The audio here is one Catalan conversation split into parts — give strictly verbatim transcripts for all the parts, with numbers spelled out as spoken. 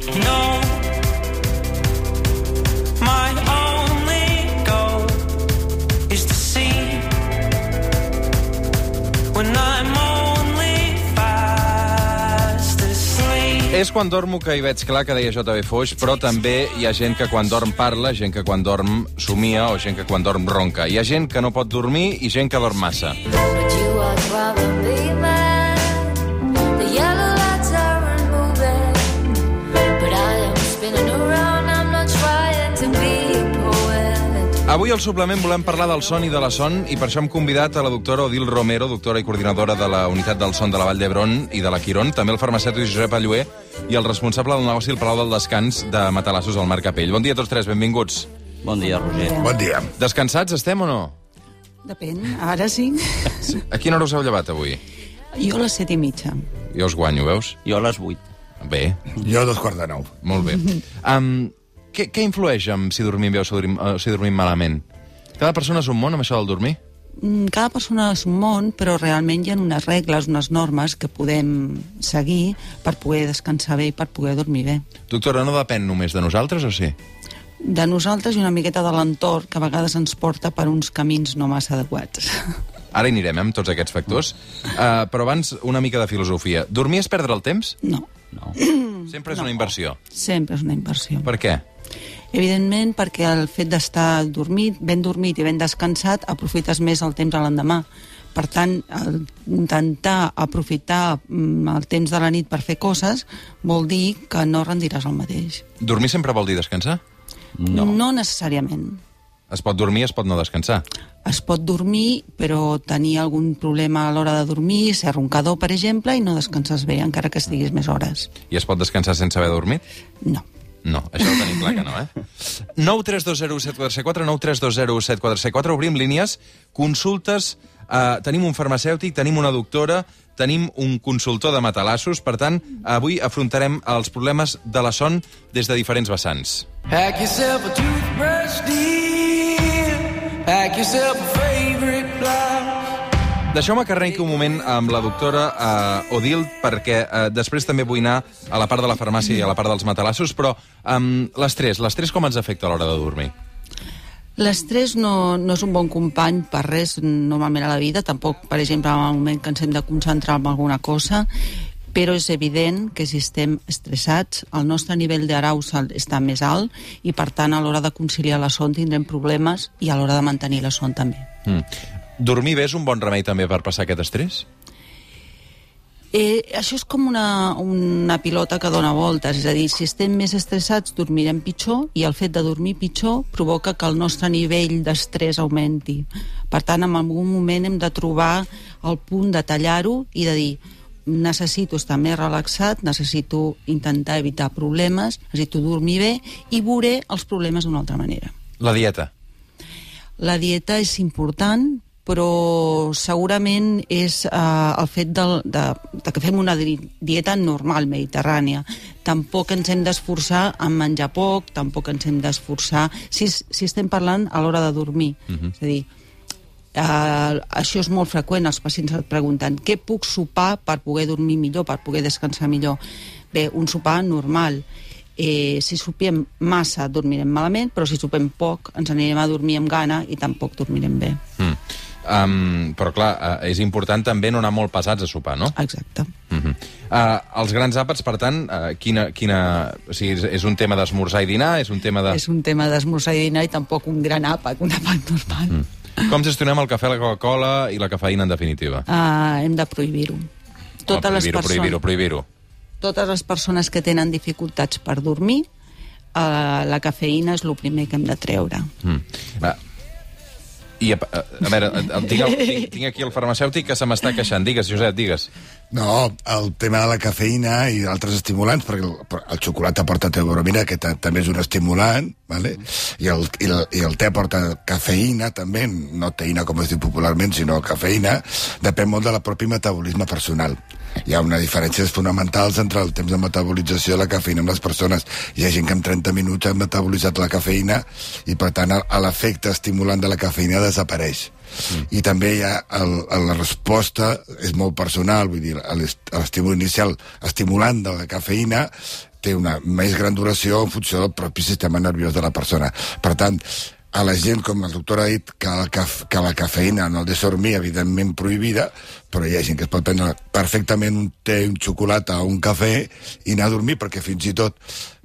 No, my only goal is to see when I'm only fast asleep. És quan dormo que hi veig clar, que deia J B Foix, però també hi ha gent que quan dorm parla, gent que quan dorm somia o gent que quan dorm ronca. Hi ha gent que no pot dormir i gent que dorm massa. But you are probably mad. The yellow lights aren't moving, but I am spinning around. I'm not trying to be a poet. Avui al suplement volem parlar del son i de la son i per això hem convidat a la doctora Odil Romero, doctora i coordinadora de la Unitat del Son de la Vall d'Hebron i de la Quirón, també el farmacèutic Josep Allué i el responsable del negoci al Palau del Descans de Matalassos, al Marc Capell. Bon dia a tots tres, benvinguts. Bon dia, Roger. Bon dia. Descansats estem o no? Depèn, ara sí. A quina hora us heu llevat avui? Jo a les set i mitja. Jo us guanyo, veus? Jo a les vuit. Bé, Jo dos quarts de nou. molt bé. Um, què, què influeix en si dormim bé o si dormim, o si dormim malament? Cada persona és un món amb això del dormir? Mm, Cada persona és un món, però realment hi ha unes regles, unes normes que podem seguir per poder descansar bé i per poder dormir bé. Doctora, no depèn només de nosaltres o sí? De nosaltres i una miqueta de l'entorn, que a vegades ens porta per uns camins no massa adequats. Ara hi anirem, eh, amb tots aquests factors. Uh, però abans, una mica de filosofia. Dormir és perdre el temps? No, No. Sempre és una inversió. sempre és una inversió. Per què? Evidentment, perquè el fet d'estar dormit, ben dormit i ben descansat, aprofites més el temps a l'endemà. Per tant, el, intentar aprofitar mm, el temps de la nit per fer coses vol dir que no rendiràs el mateix. Dormir sempre vol dir descansar? No. No necessàriament. Es pot dormir, es pot no descansar. Es pot dormir, però tenir algun problema a l'hora de dormir, ser roncador, per exemple, i no descanses bé, encara que estiguis més hores. I es pot descansar sense haver dormit? No. No, això ho tenim clar que no, eh? nou tres dos zero set quatre quatre, nou tres dos zero set quatre quatre, obrim línies, consultes, eh, tenim un farmacèutic, tenim una doctora, tenim un consultor de matalassos, per tant, avui afrontarem els problemes de la son des de diferents vessants. Pack yourself a toothbrush, dear. Pack yourself a favorite blouse. Deixeu-me que arrenqui un moment amb la doctora eh, Odil, perquè eh, després també vull anar a la part de la farmàcia i a la part dels matalassos, però um, l'estrès, l'estrès com ens afecta a l'hora de dormir? L'estrès no, no és un bon company per res normalment a la vida, tampoc, per exemple, en el moment que ens hem de concentrar en alguna cosa, però és evident que si estem estressats, el nostre nivell d'arousal està més alt i, per tant, a l'hora de conciliar la son tindrem problemes i a l'hora de mantenir la son també. Mm. Dormir bé és un bon remei també per passar aquest estrès? Eh, això és com una, una pilota que dona voltes, és a dir, si estem més estressats dormirem pitjor i el fet de dormir pitjor provoca que el nostre nivell d'estrès augmenti. Per tant, en algun moment hem de trobar el punt de tallar-ho i de dir necessito estar més relaxat, necessito intentar evitar problemes, necessito dormir bé i veuré els problemes d'una altra manera. La dieta? La dieta és important, però segurament és eh, el fet de, de, de que fem una dieta normal, mediterrània. Tampoc ens hem d'esforçar en menjar poc, tampoc ens hem d'esforçar si, si estem parlant a l'hora de dormir. Uh-huh. És a dir, eh, això és molt freqüent, els pacients et pregunten què puc sopar per poder dormir millor, per poder descansar millor. Bé, un sopar normal. Eh, si sopem massa dormirem malament, però si sopem poc ens anirem a dormir amb gana i tampoc dormirem bé. Mm. Um, però clar, uh, és important també no anar molt pesats a sopar, no? Exacte. Uh-huh. Uh, els grans àpats, per tant, uh, quina, quina, o sigui, és, és un tema d'esmorzar i dinar? És un tema de... És un tema d'esmorzar i dinar i tampoc un gran àpat, un àpat normal. Mm. Com gestionem el cafè, la Coca-Cola i la cafeïna, en definitiva? Uh, hem de prohibir-ho. Oh, prohibir-ho, prohibir-ho, prohibir-ho. Totes les persones que tenen dificultats per dormir, uh, la cafeïna és el primer que hem de treure. Mm. Va. I, a, a, a veure, tinc, el, tinc, tinc aquí el farmacèutic que se m'està queixant. Digues, Josep, digues. No, el tema de la cafeïna i altres estimulants, perquè el, el xocolata porta teobromina, que també és un estimulant, ¿vale? I, el, i, el, i el te porta cafeïna, també, no teïna, com es diu popularment, sinó cafeïna, depèn molt del propi metabolisme personal. Hi ha una diferència fonamentals entre el temps de metabolització de la cafeïna amb les persones. Hi ha gent que en trenta minuts ha metabolitzat la cafeïna i, per tant, l'efecte estimulant de la cafeïna desapareix. Mm. I també hi ha el, la resposta és molt personal, vull dir, l'estímul inicial estimulant de la cafeïna té una més gran duració en funció del propi sistema nerviós de la persona. Per tant, a la gent, com el doctor ha dit, que la, caf que la cafeïna no deixa dormir, evidentment prohibida, però hi ha gent que es pot prendre perfectament un té, un xocolata o un cafè i anar a dormir, perquè fins i tot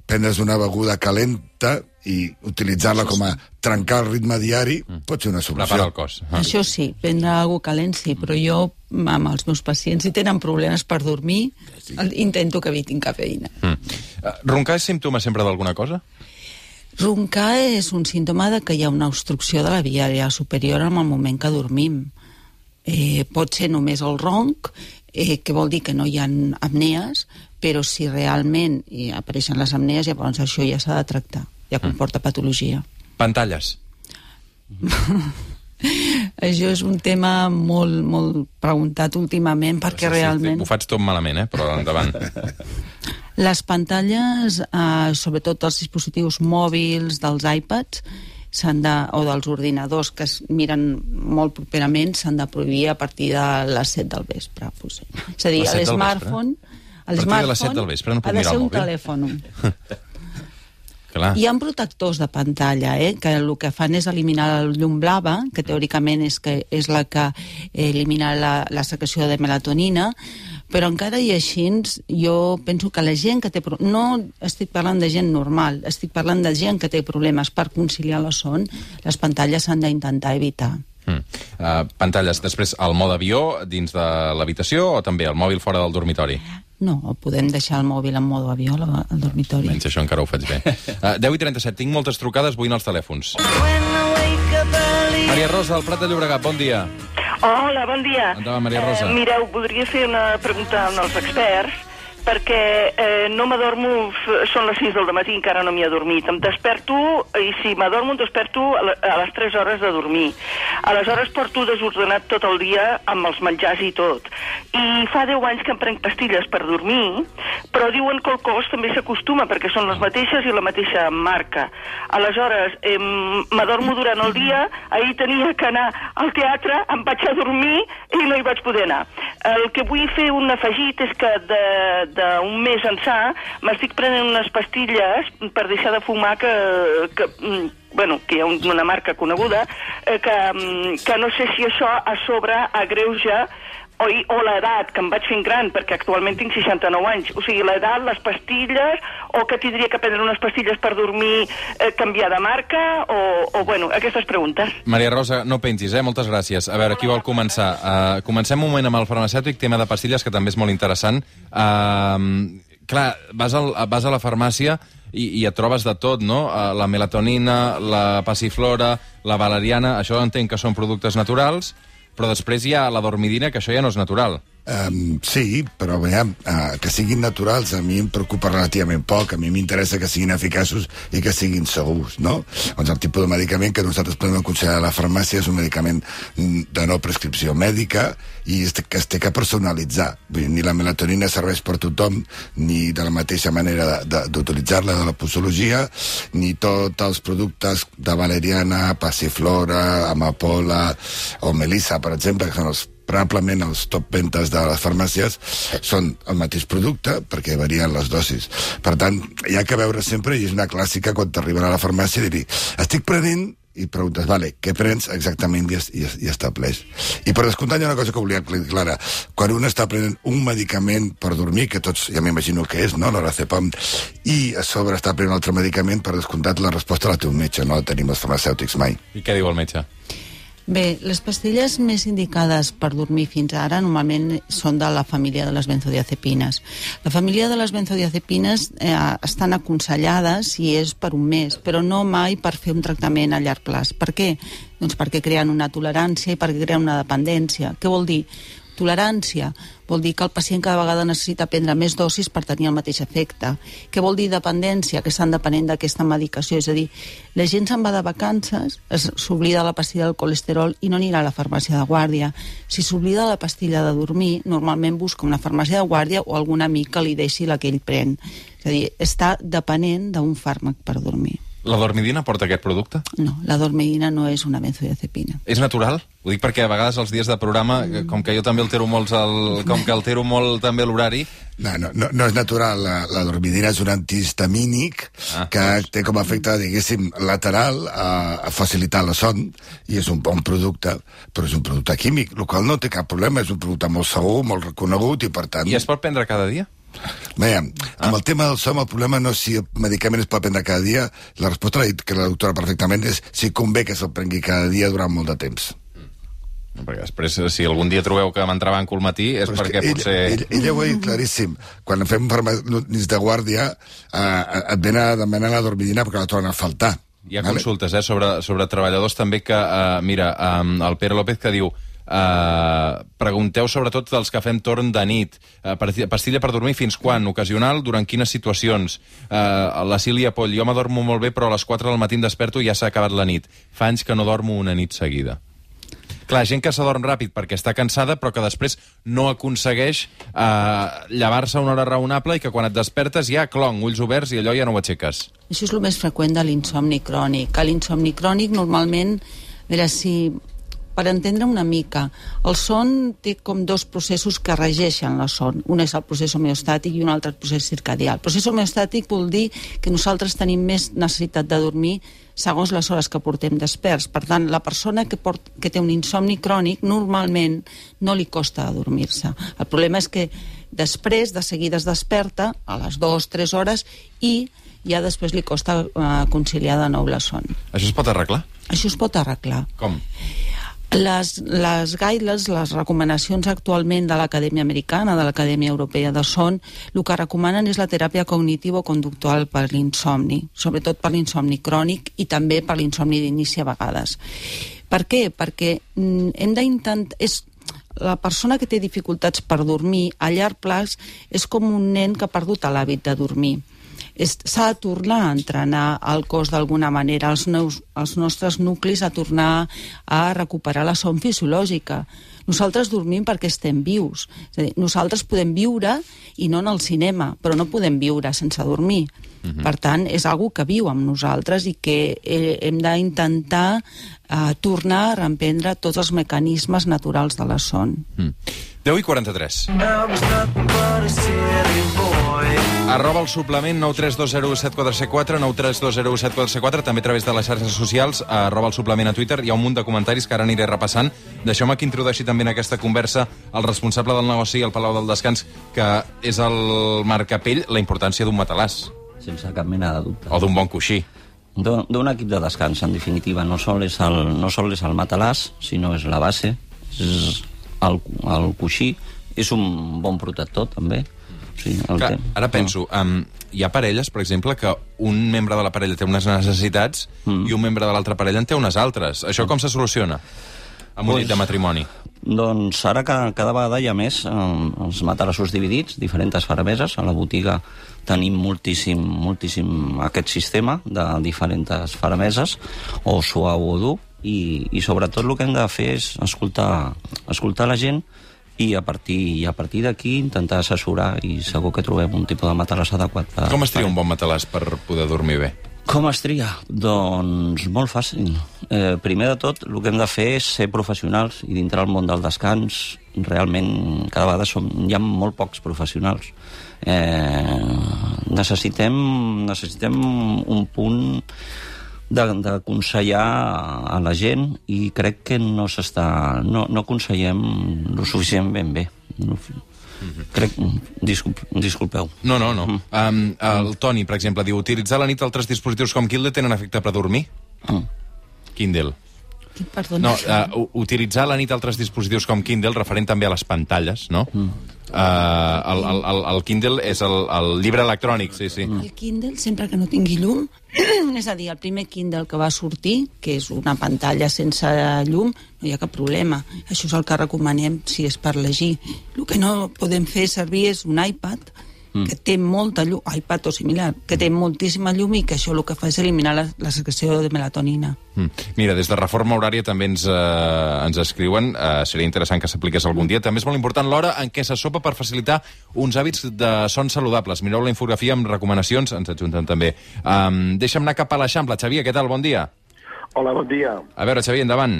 prendre's una beguda calenta i utilitzar-la com a trencar el ritme diari pot ser una solució. Prepara el cos. Ah. Això sí, prendre alguna cosa calent sí, però jo, amb els meus pacients, si tenen problemes per dormir, sí. intento que evitin cafeïna. Mm. Roncar és símptoma sempre d'alguna cosa? Roncar és un símptoma de que hi ha una obstrucció de la via aèria superior en el moment que dormim. Eh, pot ser només el ronc, eh, que vol dir que no hi ha apnees, però si realment hi apareixen les apnees, llavors això ja s'ha de tractar, ja comporta patologia. Pantalles. Això és un tema molt, molt preguntat últimament, perquè sí, sí, realment... Ho faig tot malament, eh? Però endavant. Les pantalles, eh, sobretot els dispositius mòbils, dels iPads, de, o dels ordinadors que es miren molt properament, s'han de prohibir a partir de les set del vespre. Pues. És a dir, l'smartphone... A partir de les set del vespre no puc mirar el mòbil? Ha de ser un telèfon. Clar. Hi ha protectors de pantalla, eh, que el que fan és eliminar la llum blava, que teòricament és, que és la que elimina la, la secreció de melatonina, però encara i així jo penso que la gent que té... No estic parlant de gent normal, estic parlant de gent que té problemes per conciliar la son, les pantalles s'han d'intentar evitar. Mm. Uh, pantalles, després el mode avió dins de l'habitació o també el mòbil fora del dormitori? No, podem deixar el mòbil en mode avió al dormitori. Menys això encara ho faig bé. Uh, deu i trenta-set, tinc moltes trucades, vull anar als telèfons. Maria Rosa, al Prat de Llobregat, bon dia. Hola, bon dia. Endavant, Maria Rosa. Eh, mireu, voldria fer una pregunta als experts, perquè eh, no m'adormo, són les sis del matí, encara no m'hi he dormit. Em desperto, i si m'adormo em desperto a, la, a les tres hores de dormir. Aleshores porto desordenat tot el dia amb els menjars i tot. I fa deu anys que em prenc pastilles per dormir, però diuen que el cos també s'acostuma, perquè són les mateixes i la mateixa marca. Aleshores, eh, m'adormo durant el dia, ahir tenia que anar al teatre, em vaig a dormir i no hi vaig poder anar. El que vull fer un afegit és que de d'un mes ençà m'estic prenent unes pastilles per deixar de fumar que, que, bueno, que hi ha una marca coneguda, que, que no sé si això a sobre agreuja o, o l'edat, que em vaig fent gran, perquè actualment tinc seixanta-nou anys. O sigui, l'edat, les pastilles, o que tindria que prendre unes pastilles per dormir, eh, canviar de marca, o, o, bueno, aquestes preguntes. Maria Rosa, no pengis, eh? Moltes gràcies. A veure, qui vol començar? Uh, comencem un moment amb el farmacèutic, tema de pastilles, que també és molt interessant. Uh, clar, vas, al, vas a la farmàcia i, i et trobes de tot, no? Uh, la melatonina, la passiflora, la valeriana, això entenc que són productes naturals, però després hi ha la dormidina, que això ja no és natural. Um, sí, però veiem, uh, que siguin naturals a mi em preocupa relativament poc. A mi m'interessa que siguin eficaços i que siguin segurs, no? Doncs el tipus de medicament que nosaltres podem aconsellar a la farmàcia és un medicament de no prescripció mèdica i que es té que personalitzar. Vull dir, ni la melatonina serveix per tothom, ni de la mateixa manera d'utilitzar-la de, de la posologia, ni tots els productes de valeriana, passiflora, amapola o melissa, per exemple, que són els probablement els top ventes de les farmàcies són el mateix producte perquè varien les dosis. Per tant, hi ha que veure sempre, i és una clàssica quan t'arriben a la farmàcia i dir, estic prenent, i preguntes, vale, què prens exactament i, i, i estableix. I per descomptar hi ha una cosa que volia aclarar. Quan un està prenent un medicament per dormir, que tots ja m'imagino que és, no?, l'Orazepam, i a sobre està prenent un altre medicament, per descomptat la resposta la té un metge, no la tenim els farmacèutics mai. I què diu el metge? Bé, les pastilles més indicades per dormir fins ara normalment són de la família de les benzodiazepines. La família de les benzodiazepines eh, estan aconsellades si és per un mes, però no mai per fer un tractament a llarg plaç. Per què? Doncs perquè creen una tolerància i perquè creen una dependència. Què vol dir? Tolerància vol dir que el pacient cada vegada necessita prendre més dosis per tenir el mateix efecte. Què vol dir dependència? Que estan depenent d'aquesta medicació. És a dir, la gent se'n va de vacances, s'oblida la pastilla del colesterol i no anirà a la farmàcia de guàrdia. Si s'oblida la pastilla de dormir, normalment busca una farmàcia de guàrdia o algun amic que li deixi la que ell pren. És a dir, està depenent d'un fàrmac per dormir. La dormidina porta aquest producte? No, la dormidina no és una benzodiazepina. És natural? Ho dic perquè a vegades els dies de programa, mm. com que jo també altero molt el, com que altero molt també l'horari... No, no, no, no és natural. La, la dormidina és un antihistamínic ah, que doncs. té com a efecte, diguéssim, lateral a, a facilitar la son, i és un bon producte, però és un producte químic, el qual no té cap problema, és un producte molt segur, molt reconegut, i per tant... I es pot prendre cada dia? Bé, amb ah. el tema del som, el problema no és si el medicament es pot prendre cada dia, la resposta l'ha dit que la doctora perfectament és si convé que se'l prengui cada dia durant molt de temps. No, perquè després, si algun dia trobeu que m'entrebanco al matí, és Però perquè és potser... Ell, ell, ella ho ha dit claríssim. Quan fem nits de guàrdia, eh, et ven a demanar la dormidina perquè la tornen a faltar. Hi ha vale? consultes eh, sobre, sobre treballadors també que, eh, mira, eh, el Pere López que diu Uh, pregunteu sobretot dels que fem torn de nit, uh, pastilla per dormir fins quan, ocasional, durant quines situacions. Uh, la Sílvia Poll, jo m'adormo molt bé però a les quatre del matí em desperto i ja s'ha acabat la nit, fa anys que no dormo una nit seguida. Clar, gent que s'adorm ràpid perquè està cansada però que després no aconsegueix uh, llevar-se a una hora raonable i que quan et despertes ja clonc, ulls oberts i allò ja no ho aixeques. Això és el més freqüent de l'insomni crònic. A l'insomni crònic normalment, a veure si... Per entendre una mica, el son té com dos processos que regeixen la son. Un és el procés homeostàtic i un altre el procés circadià. El procés homeostàtic vol dir que nosaltres tenim més necessitat de dormir segons les hores que portem desperts. Per tant, la persona que, port, que té un insomni crònic normalment no li costa dormir-se. El problema és que després, de seguida es desperta a les dues o tres hores i ja després li costa uh, conciliar de nou la son. Això es pot arreglar? Això es pot arreglar. Com? Les, les guidelines, les recomanacions actualment de l'Acadèmia Americana, de l'Acadèmia Europea de Son, el que recomanen és la teràpia cognitivo-conductual per l'insomni, sobretot per l'insomni crònic i també per l'insomni d'inici a vegades. Per què? Perquè mm, hem d'intentar... És, la persona que té dificultats per dormir a llarg plaç és com un nen que ha perdut l'hàbit de dormir. S'ha de tornar a entrenar el cos d'alguna manera, els, neus, els nostres nuclis a tornar a recuperar la son fisiològica. Nosaltres dormim perquè estem vius. És a dir, nosaltres podem viure i no en el cinema, però no podem viure sense dormir. Uh-huh. Per tant, és algo que viu amb nosaltres i que eh, hem d'intentar eh, tornar a reemprendre tots els mecanismes naturals de la son. Mm. deu i quaranta-tres. Arroba el suplement nou tres dos zero set quatre set quatre, nou tres dos zero set quatre set quatre, també a través de les xarxes socials, arroba el suplement a Twitter. Hi ha un munt de comentaris que ara aniré repassant. Deixeu-me que introdueixi també en aquesta conversa el responsable del negoci al Palau del Descans, que és el Marc Capell, la importància d'un matalàs. Sense cap mena de dubte. O d'un bon coixí. D'un equip de descans, en definitiva. No sol és el, no sol és el matalàs, sinó és la base, és el, el coixí, és un bon protector, també. Sí, Clar, ara penso, um, hi ha parelles, per exemple, que un membre de la parella té unes necessitats mm. i un membre de l'altra parella en té unes altres. Això mm. com se soluciona amb un pues, llit de matrimoni? Doncs ara que cada vegada hi ha més eh, els matalassos dividits, diferents farameses. A la botiga tenim moltíssim, moltíssim aquest sistema de diferents farameses, o suau o dur, i, i sobretot el que hem de fer és escoltar, escoltar la gent i a partir, i a partir d'aquí intentar assessorar, i segur que trobem un tipus de matalàs adequat. Per, Com es tria un bon matalàs per poder dormir bé? Com es tria? Doncs molt fàcil. Eh, primer de tot, el que hem de fer és ser professionals, i dintre del món del descans realment cada vegada som, hi ha molt pocs professionals. Eh, necessitem, necessitem un punt d'aconsellar a la gent, i crec que no s'està no, no aconsellem lo suficient ben bé. No, mm-hmm. crec, disculp, disculpeu. No, no, no. Mm. Um, el Toni, per exemple, diu: utilitzar a la nit altres dispositius com Kindle tenen efecte per dormir? Mm. Kindle. Perdona. No, uh, utilitzar a la nit altres dispositius com Kindle, referent també a les pantalles, no? Mm. Uh, el, el, el, el Kindle és el, el llibre electrònic, sí, sí. El Kindle, sempre que no tingui llum, és a dir, el primer Kindle que va sortir, que és una pantalla sense llum, no hi ha cap problema. Això és el que recomanem si és per llegir. El que no podem fer servir és un iPad, mm. que té molta llum, iPad o similar, que té moltíssima llum i que això el que fa és eliminar la, la secreció de melatonina. Mm. Mira, des de Reforma Horària també ens, eh, ens escriuen, eh, seria interessant que s'apliqués algun dia. També és molt important l'hora en què se sopa per facilitar uns hàbits de son saludables. Mireu la infografia amb recomanacions, ens adjunten també. Um, deixa'm anar cap a l'Eixample. Xavier, què tal? Bon dia. Hola, bon dia. A veure, Xavier, endavant.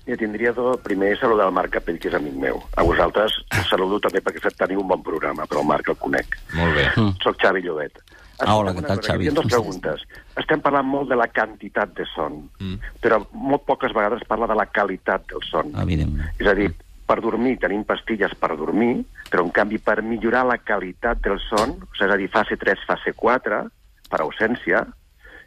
Ja tindria tot, primer saludar el Marc Capell, que és amic meu. A vosaltres saludo també perquè teniu un bon programa, però el Marc el conec. Molt bé. Mm. Soc Xavi Llobet. Ah, hola, què tal, Xavi? Hi ha dues preguntes. Estem parlant molt de la quantitat de son, mm. però molt poques vegades es parla de la qualitat del son. Evidentment. És a dir, per dormir tenim pastilles per dormir, però en canvi per millorar la qualitat del son, és a dir, fase tres, fase quatre, per ausència,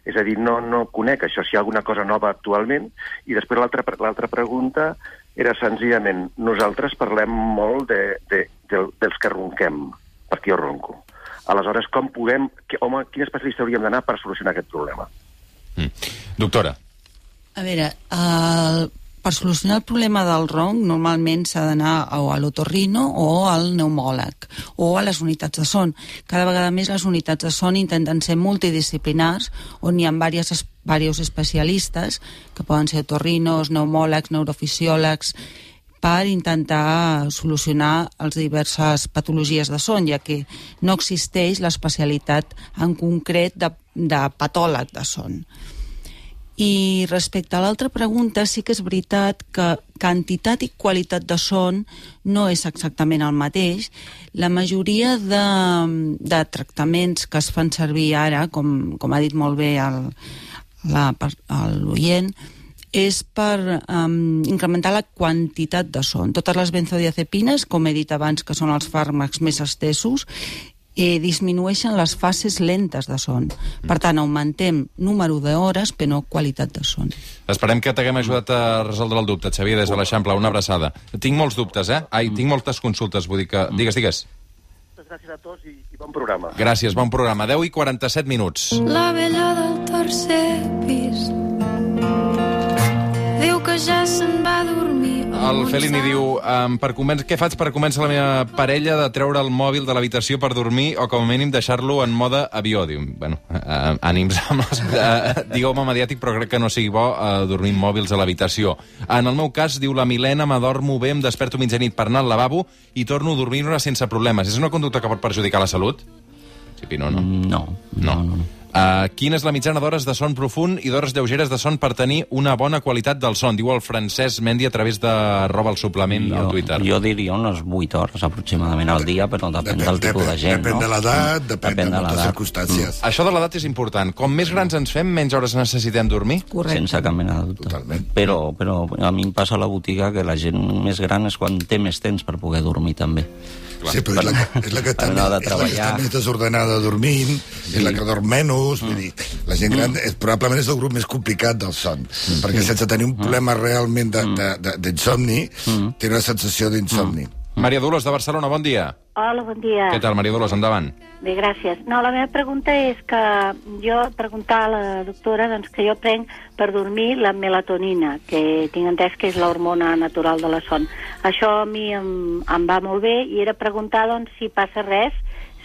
és a dir, no, no conec això, si hi ha alguna cosa nova actualment. I després l'altra l'altra pregunta era senzillament, nosaltres parlem molt de, de, de, dels que ronquem, perquè jo ronco. Aleshores, com podem... Que, home, quin especialista hauríem d'anar per solucionar aquest problema? Mm. Doctora. A veure, el, per solucionar el problema del ronc normalment s'ha d'anar o a l'otorrino o al pneumòleg o a les unitats de son. Cada vegada més les unitats de son intenten ser multidisciplinars, on hi ha diversos, diversos especialistes, que poden ser otorrinos, pneumòlegs, neurofisiòlegs, per intentar solucionar les diverses patologies de son, ja que no existeix l'especialitat en concret de, de patòleg de son. I respecte a l'altra pregunta, sí que és veritat que quantitat i qualitat de son no és exactament el mateix. La majoria de, de tractaments que es fan servir ara, com, com ha dit molt bé l'oient, és per um, incrementar la quantitat de son. Totes les benzodiazepines, com he dit abans, que són els fàrmacs més estesos, eh, disminueixen les fases lentes de son. Per tant, augmentem número d'hores, però no qualitat de son. Esperem que t'haguem ajudat a resoldre el dubte, Xavier, des de l'Eixample. Una abraçada. Tinc molts dubtes, eh? Ai, tinc moltes consultes, vull dir que... Digues, digues. Gràcies a tots i, i bon programa. Gràcies, bon programa. deu i quaranta-set minuts. La vella del tercer pis diu que ja se'n va dormir. El Felini diu, um, per començ... què faig per convèncer la meva parella de treure el mòbil de l'habitació per dormir o com a mínim deixar-lo en mode avió? Diu, bueno, uh, ànims amb les... Uh, digueu-me mediàtic, però crec que no sigui bo uh, dormir amb mòbils a l'habitació. En el meu cas, diu la Milena, m'adormo bé, em desperto mitjanit per anar al lavabo i torno a dormir-ne sense problemes. És una conducta que pot perjudicar la salut? Sí, no, no. No, no, no. no. Uh, quina és la mitjana d'hores de son profund i d'hores lleugeres de son per tenir una bona qualitat del son? Diu el Francesc Mendi a través de Roba el Suplement jo, al Twitter. Jo diria unes vuit hores aproximadament al dia, però depèn, depèn del tipus depèn, de gent. Depèn no? de l'edat, depèn, depèn de, de moltes l'edat. circumstàncies. Mm. Això de l'edat és important. Com més grans ens fem, menys hores necessitem dormir? Correcte. Sense cap mena de dubte. Totalment. Però, però a mi em passa a la botiga que la gent més gran és quan té més temps per poder dormir també. Clar. Sí, però és la que, és la que, està, Per anar de més, és la que està més desordenada dormint, sí. És la que dorm menys, mm. vull dir, la gent gran és, probablement és el grup més complicat del son, mm. perquè sense tenir un problema realment d'insomni, mm. té una sensació d'insomni. Mm. Maria Dolors, de Barcelona, bon dia. Hola, bon dia. Què tal, Maria Dolors, endavant. Bé, gràcies. No, la meva pregunta és que jo preguntar a la doctora doncs, que jo prenc per dormir la melatonina, que tinc entès que és l'hormona natural de la son. Això a mi em, em va molt bé i era preguntar doncs, si passa res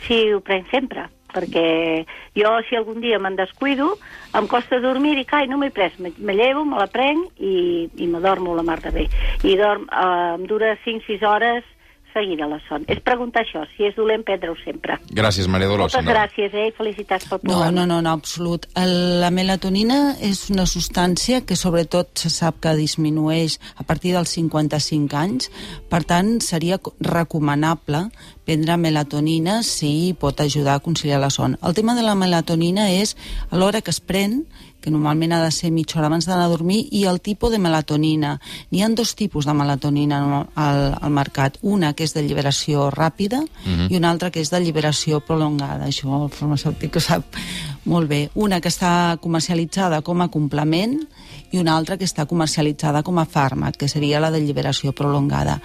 si ho prenc sempre, perquè jo si algun dia me'n descuido em costa dormir i cai, no m'he pres, me, me llevo, me la prenc i, i m'adormo la mar de bé. I dorm, eh, em dura cinc sis hores seguida la son. És preguntar això, si és dolent prendre-ho sempre. Gràcies, Maria Dolors. Moltes gràcies, eh, i felicitats pel programa. No, no, no, no, absolut. El, la melatonina és una substància que sobretot se sap que disminueix a partir dels cinquanta-cinc anys, per tant seria recomanable prendre melatonina si pot ajudar a conciliar la son. El tema de la melatonina és a l'hora que es pren, que normalment ha de ser mitja hora abans d'anar a dormir, i el tipus de melatonina. N'hi ha dos tipus de melatonina al, al mercat. Una que és d'alliberació ràpida uh-huh. i una altra que és d'alliberació prolongada. Això el farmacèutic ho sap molt bé. Una que està comercialitzada com a complement i una altra que està comercialitzada com a fàrmac, que seria la d'alliberació prolongada.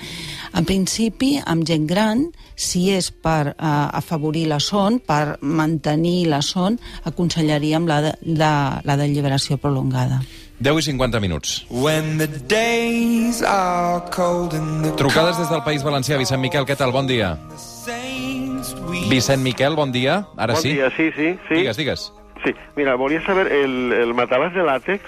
En principi, amb gent gran, si és per eh, afavorir la son, per mantenir la son, aconsellaríem la de, de, la d'alliberació prolongada. deu i cinquanta minuts. When the days are cold and the Trucades des del País Valencià. Vicent Miquel, què tal? Bon dia. saints Vicent Miquel, bon dia. Ara Bon sí. dia, sí, sí, sí. Digues, digues. Sí, mira, volia saber, el, el matalàs de làtex,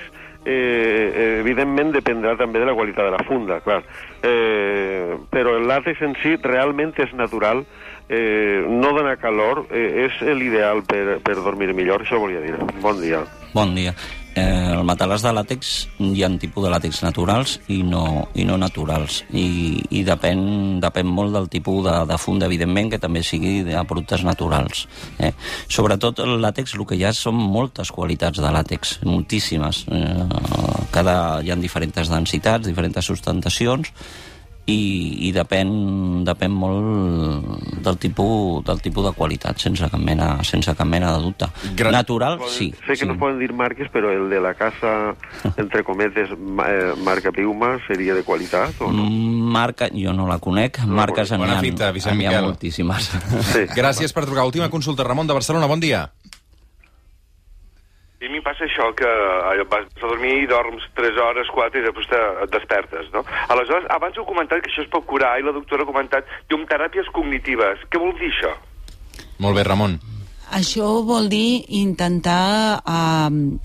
eh, evidentment dependrà també de la qualitat de la funda, clar. Eh, però el làtex en si realment és natural, eh, no dona calor, eh, és l'ideal per, per dormir millor, això volia dir. Bon dia. Bon dia. Eh, el matalàs de làtex, hi ha tipus de làtex naturals i no, i no naturals. I, i depèn, depèn molt del tipus de, de funda, evidentment, que també sigui de productes naturals. Eh? Sobretot el làtex, el que hi ha són moltes qualitats de làtex, moltíssimes. Eh, cada, hi ha diferents densitats, diferents sustentacions, i, i depèn, depèn molt del tipus, del tipus de qualitat, sense cap mena, sense cap mena de dubte. Gran... Natural, sí. Sé que sí. no poden dir marques, però el de la casa, entre cometes, eh, marca Piuma, seria de qualitat o no? Marca, jo no la conec, no marques n'hi Bona ha, fita, Vicent n'hi ha Miquel. moltíssimes. Sí. Gràcies per trucar. Última consulta. Ramon de Barcelona, bon dia. I a mi passa això, que allò, vas a dormir i dorms tres hores, quatre, i després te, et despertes, no? Aleshores, abans heu comentat que això es pot curar, i la doctora ha comentat llumteràpies cognitives. Què vol dir això? Molt bé, Ramon. Això vol dir intentar, eh,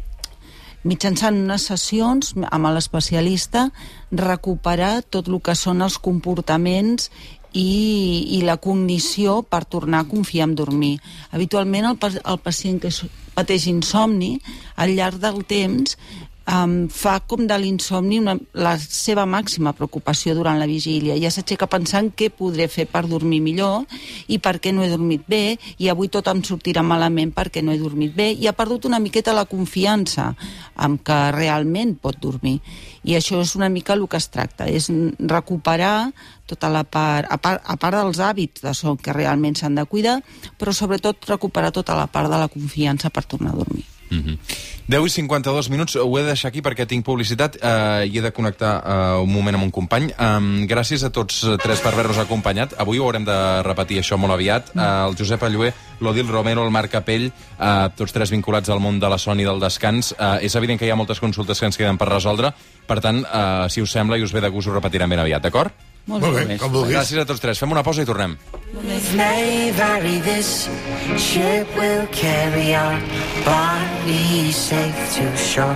mitjançant unes sessions amb l'especialista, recuperar tot el que són els comportaments i, i la cognició per tornar a confiar en dormir. Habitualment el, el pacient que pateix insomni, al llarg del temps, um, fa com de l'insomni una, la seva màxima preocupació durant la vigília. Ja s'aixeca pensant què podré fer per dormir millor i per què no he dormit bé, i avui tot em sortirà malament perquè no he dormit bé, i ha perdut una miqueta la confiança en que realment pot dormir. I això és una mica el que es tracta, és recuperar tota la part, a part, a part dels hàbits de son que realment s'han de cuidar, però sobretot recuperar tota la part de la confiança per tornar a dormir. Mm-hmm. deu i cinquanta-dos minuts, ho he de deixar aquí perquè tinc publicitat eh, i he de connectar eh, un moment amb un company. Um, gràcies a tots tres per haver-nos acompanyat. Avui ho haurem de repetir això molt aviat. Uh, el Josep Allué, l'Odil Romero, el Marc Capell, uh, tots tres vinculats al món de la son i del descans. Uh, és evident que hi ha moltes consultes que ens queden per resoldre, per tant, uh, si us sembla i us ve de gust, ho repetirem ben aviat, d'acord? Molt Molt bé. bé, com vulguis. Gràcies a tots tres. Fem una pausa i tornem. May vary, this ship will carry our bodies safe to shore.